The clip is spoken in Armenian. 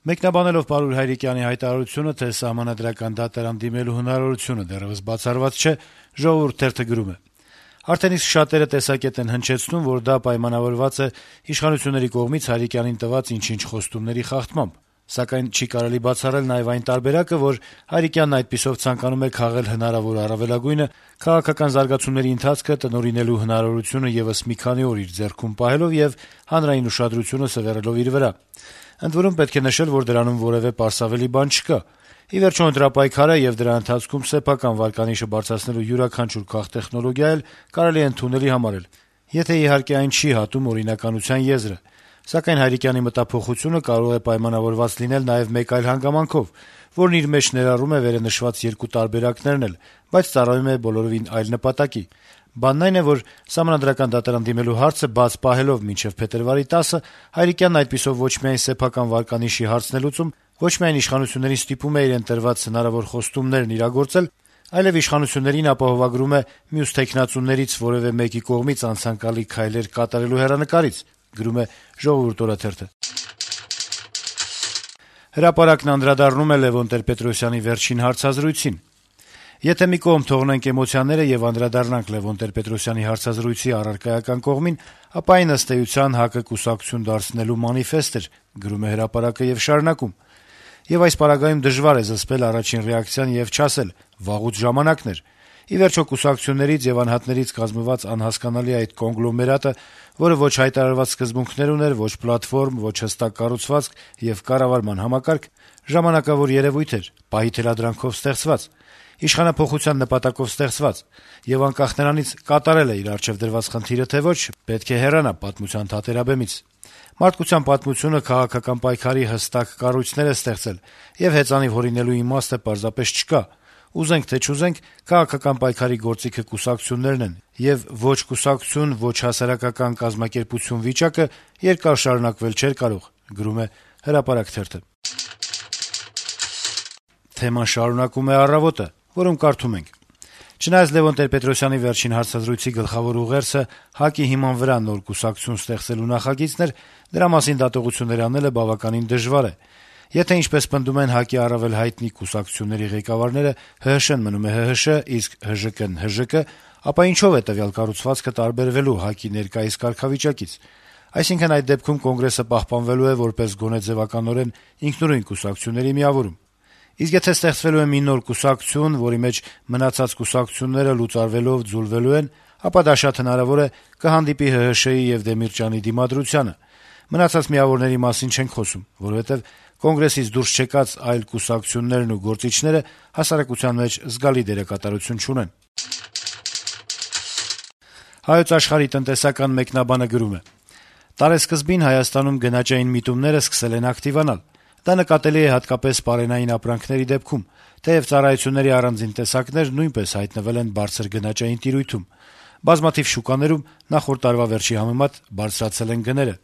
Մեկնաբանելով Պարուր Հայրիկյանի հայտարարությունը, թե սահմանադրական դատարան դիմելու հնարավորությունը դեռեւս բացառված չէ, «Ժողովուրդ» թերթը գրում է. - «Արդեն իսկ շատերը տեսակետ են հնչեցնում, որ դա պայմանավորված է իշխանությունների կողմից Հայրիկյանին տված ինչ-ինչ խոստումների խախտմամբ: Սակայն չի կարելի բացառել նաեւ այն տարբերակը, որ Հայրիկյանն այդպիսով ցանկանում է քաղել հնարավոր առավելագույնը, քաղաքական զարգացումների ընթացքը տնօրինելու հնարավորությունը եւս մի քանի օր իր ձեռքում պահելով եւ հանրային ուշադրությունը սեւեռելով իր վրա: Ընդ որում, պետք է նշել, որ դրանում որեւէ պարսավելի բան չկա: Ի վերջո, ընտրապայքար է, եւ դրա ընթացքում սեփական վարկանիշը բարձրացնելու յուրաքանչյուր քաղտեխնոլոգիա էլ կարելի է ընդունելի համարել, եթե իհարկե այն չի հատում օրինականության եզրը: Սակայն Հայրիկյանի մտափոխությունը կարող է պայմանավորված լինել նաեւ մեկ այլ հանգամանքով, որն իր մեջ ներառում է վերընշված երկու տարբերակներն էլ, բայց ծառայում է բոլորովին այլ նպատակի: Բանն այն է, որ սահմանադրական դատարան դիմելու հարցը բաց պահելով մինչեւ փետրվարի 10-ը, Հայրիկյանն այդպիսով ոչ միայն սեփական վարկանիշի հարցն է լուծում, ոչ միայն իշխանություններին ստիպում է իրեն տրված հնարավոր խոստումներն իրագործել, այլեւ իշխանություններին ապահովագրում է մյուս թեկնածուներից որեւէ մեկի կողմից անցանկալի քայլեր կատարելու հեռանկարից»: «Հրապարակ»-ն անդրադառնում է Լեւոն Տեր-Պետրոսյանի վերջին հարցազրույցին. - «Եթե մի կողմ թողնենք էմոցիաները եւ անդրադառնանք Լեւոն Տեր-Պետրոսյանի հարցազրույցի առարկայական կողմին, ապա այն ըստ էության ՀԱԿ-ը կուսակցություն դարձնելու մանիֆեստ էր», - գրում է «Հրապարակ»-ը եւ շարունակում. - «Եվ այս պարագայում դժվար է զսպել առաջին ռեակցիան եւ չասել՝ վաղուց ժամանակն էր: Ի վերջո, կուսակցություններից եւ անհատներից կազմված անհասկանալի այդ կոնգլոմերատը, որը ոչ հայտարարված սկզբունքներ ուներ, ոչ պլատֆորմ, ոչ հստակ կառուցվածք եւ կառավարման համակարգ, ժամանակավոր երեւույթ էր, պահի թելադրանքով ստեղծված, իշխանափոխության նպատակով ստեղծված, եւ անկախ նրանից կատարել է իր առջեւ դրված խնդիրը, թե ոչ, պետք է հեռանա պատմության թատերաբեմից: Մարդկության պատմությունը քաղաքական պայքարի հստակ կառույցներ է ստեղծել, եւ հեծանիվ հորինելու իմաստը պարզապես չկա: Ուզենք թե չուզենք, քաղաքական պայքարի գործիքը կուսակցություններն են, եւ ոչ կուսակցություն, ոչ հասարակական կազմակերպություն վիճակը երկար շարունակվել չէր կարող»: Թեման շարունակում է «Առավոտ»-ը, որում կարդում ենք. - «Չնայած Լեւոն Տեր-Պետրոսյանի վերջին հարցազրույցի գլխավոր ուղերձը ՀԱԿ-ի հիման վրա նոր կուսակցություն ստեղծելու նախագիծն էր, դրա մասին դատողություններ անելը բավականին դժվար է: Եթե, ինչպես պնդում են ՀԱԿ-ի առավել հայտնի կուսակցությունների ղեկավարները, ՀՀՇ-ն մնում է ՀՀՇ, իսկ ՀԺԿ-ն ՀԺԿ, ապա ինչո՞վ է տվյալ կառուցվածքը տարբերվելու ՀԱԿ-ի ներկայիս կարգավիճակից: Այսինքն, այդ դեպքում Կոնգրեսը պահպանվելու է որպես գոնե ձեւականորեն ինքնուրույն կուսակցությունների միավորում: Իսկ եթե ստեղծվելու է մի նոր կուսակցություն, որի մեջ մնացած կուսակցությունները լուծարվելով ձուլվելու են, ապա դա շատ հնարավոր է կհանդիպի ՀՀՇ-ի եւ Դեմիրճյանի դիմադրությանը: Մնացած միավորների մասին չենք խոսում, որովհետեւ Կոնգրեսից դուրս չեկած այլ կուսակցություններն ու գործիչները հասարակության մեջ զգալի դերակատարություն չունեն»: «Հայոց Աշխարհ»-ի տնտեսական մեկնաբանը գրում է. - «Տարեսկզբին Հայաստանում գնաճային միտումները սկսել են ակտիվանալ: Դա նկատելի է հատկապես պարենային ապրանքների դեպքում, թեեւ ծառայությունների առանձին տեսակներ նույնպես հայտնվել են բարձր գնաճային տիրույթում: Բազմաթիվ շուկաներում նախորդ տարվա վերջի համեմատ բարձրացել են գները»: